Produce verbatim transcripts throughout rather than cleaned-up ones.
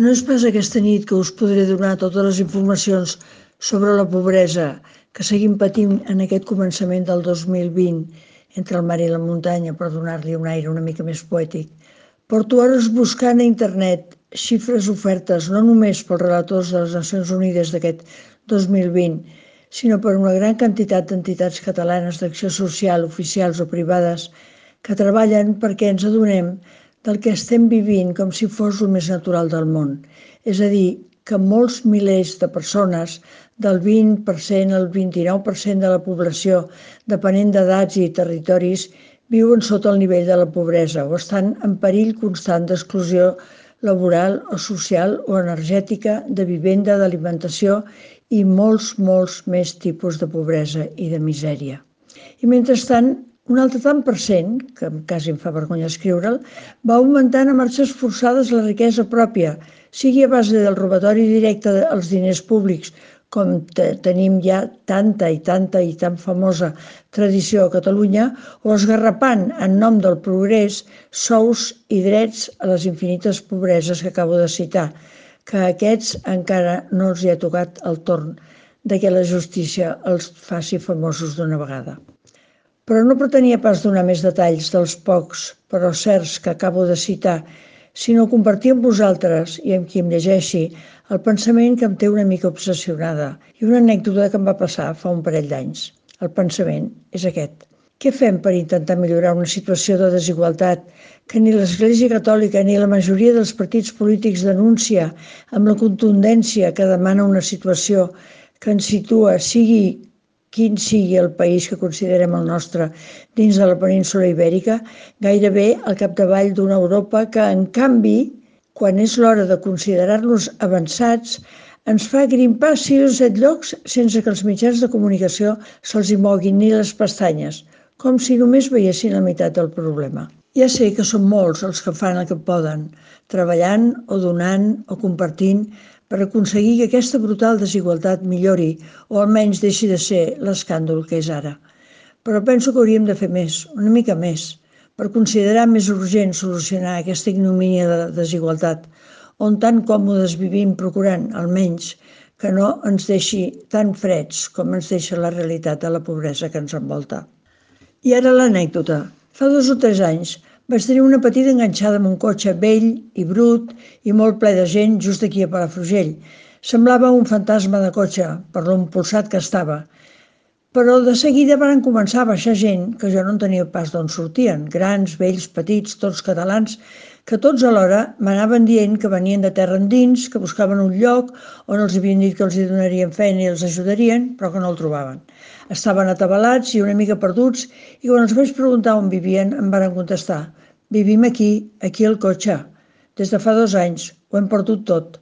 No és pas aquesta nit que us podré donar totes les informacions sobre la pobresa que seguim patint en aquest començament del dos mil vint entre el mar i la muntanya, per donar-li un aire una mica més poètic. Porto hores buscant a internet xifres ofertes no només pels relators de les Nacions Unides d'aquest dos mil vint, sinó per una gran quantitat d'entitats catalanes d'acció social, oficials o privades, que treballen perquè ens adonem del que estem vivint com si fos el més natural del món. És a dir, que molts milers de persones, del vint per cent al vint-i-nou per cent de la població, depenent d'edats i territoris, viuen sota el nivell de la pobresa o estan en perill constant d'exclusió laboral o social o energètica, de vivenda, d'alimentació i molts, molts més tipus de pobresa i de misèria. I mentrestant, un altre tant per cent, que quasi em fa vergonya escriure'l, va augmentant a marxes forçades la riquesa pròpia, sigui a base del robatori directe als diners públics, com tenim ja tanta i tanta i tan famosa tradició a Catalunya, o esgarrapant en nom del progrés sous i drets a les infinites pobreses que acabo de citar, que a aquests encara no els hi ha tocat el torn de que la justícia els faci famosos d'una vegada. Però no pretenia pas donar més detalls dels pocs, però certs, que acabo de citar, sinó compartir amb vosaltres i amb qui em llegeixi el pensament que em té una mica obsessionada i una anècdota que em va passar fa un parell d'anys. El pensament és aquest. Què fem per intentar millorar una situació de desigualtat que ni l'Església Catòlica ni la majoria dels partits polítics denuncia amb la contundència que demana una situació que ens situa, sigui quin sigui el país que considerem el nostre dins de la península ibèrica, gairebé al capdavall d'una Europa que, en canvi, quan és l'hora de considerar-nos avançats, ens fa grimpar sis o set llocs sense que els mitjans de comunicació se'ls hi moguin ni les pestanyes, com si només veiessin la meitat del problema. Ja sé que són molts els que fan el que poden, treballant o donant o compartint, per aconseguir que aquesta brutal desigualtat millori o almenys deixi de ser l'escàndol que és ara. Però penso que hauríem de fer més, una mica més, per considerar més urgent solucionar aquesta ignomínia de desigualtat, on tan còmodes vivim procurant, almenys, que no ens deixi tan freds com ens deixa la realitat de la pobresa que ens envolta. I ara l'anècdota. Fa dos o tres anys vaig tenir una petita enganxada amb un cotxe vell i brut i molt ple de gent just aquí a Palafrugell. Semblava un fantasma de cotxe, per l'impulsat que estava. Però de seguida van començar a baixar gent que jo no en tenia pas d'on sortien, grans, vells, petits, tots catalans, que tots alhora m'anaven dient que venien de terra endins, que buscaven un lloc on els havien dit que els hi donarien feina i els ajudarien, però que no el trobaven. Estaven atabalats i una mica perduts i quan els vaig preguntar on vivien em van contestar: vivim aquí, aquí al cotxe. Des de fa dos anys, ho hem perdut tot.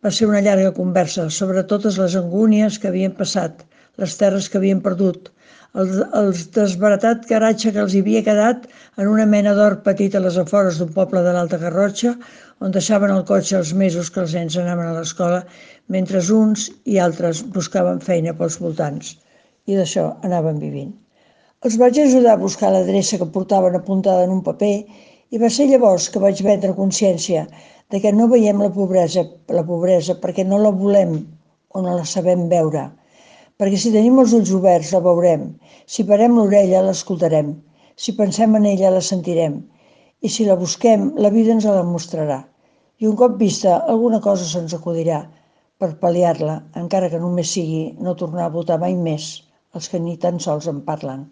Va ser una llarga conversa sobre totes les angúnies que havien passat, les terres que havien perdut, el, el desbaratat garatge que els havia quedat en una mena d'hort petit a les afores d'un poble de l'Alta Garrotxa, on deixaven el cotxe els mesos que els nens anaven a l'escola, mentre uns i altres buscaven feina pels voltants. I d'això anaven vivint. Els vaig ajudar a buscar l'adreça que portaven apuntada en un paper i va ser llavors que vaig prendre consciència de que no veiem la pobresa, la pobresa perquè no la volem o no la sabem veure. Perquè si tenim els ulls oberts la veurem, si parem l'orella l'escoltarem, si pensem en ella la sentirem i si la busquem la vida ens la mostrarà. I un cop vista alguna cosa se'ns acudirà per pal·liar-la, encara que només sigui no tornar a votar mai més els que ni tan sols en parlen.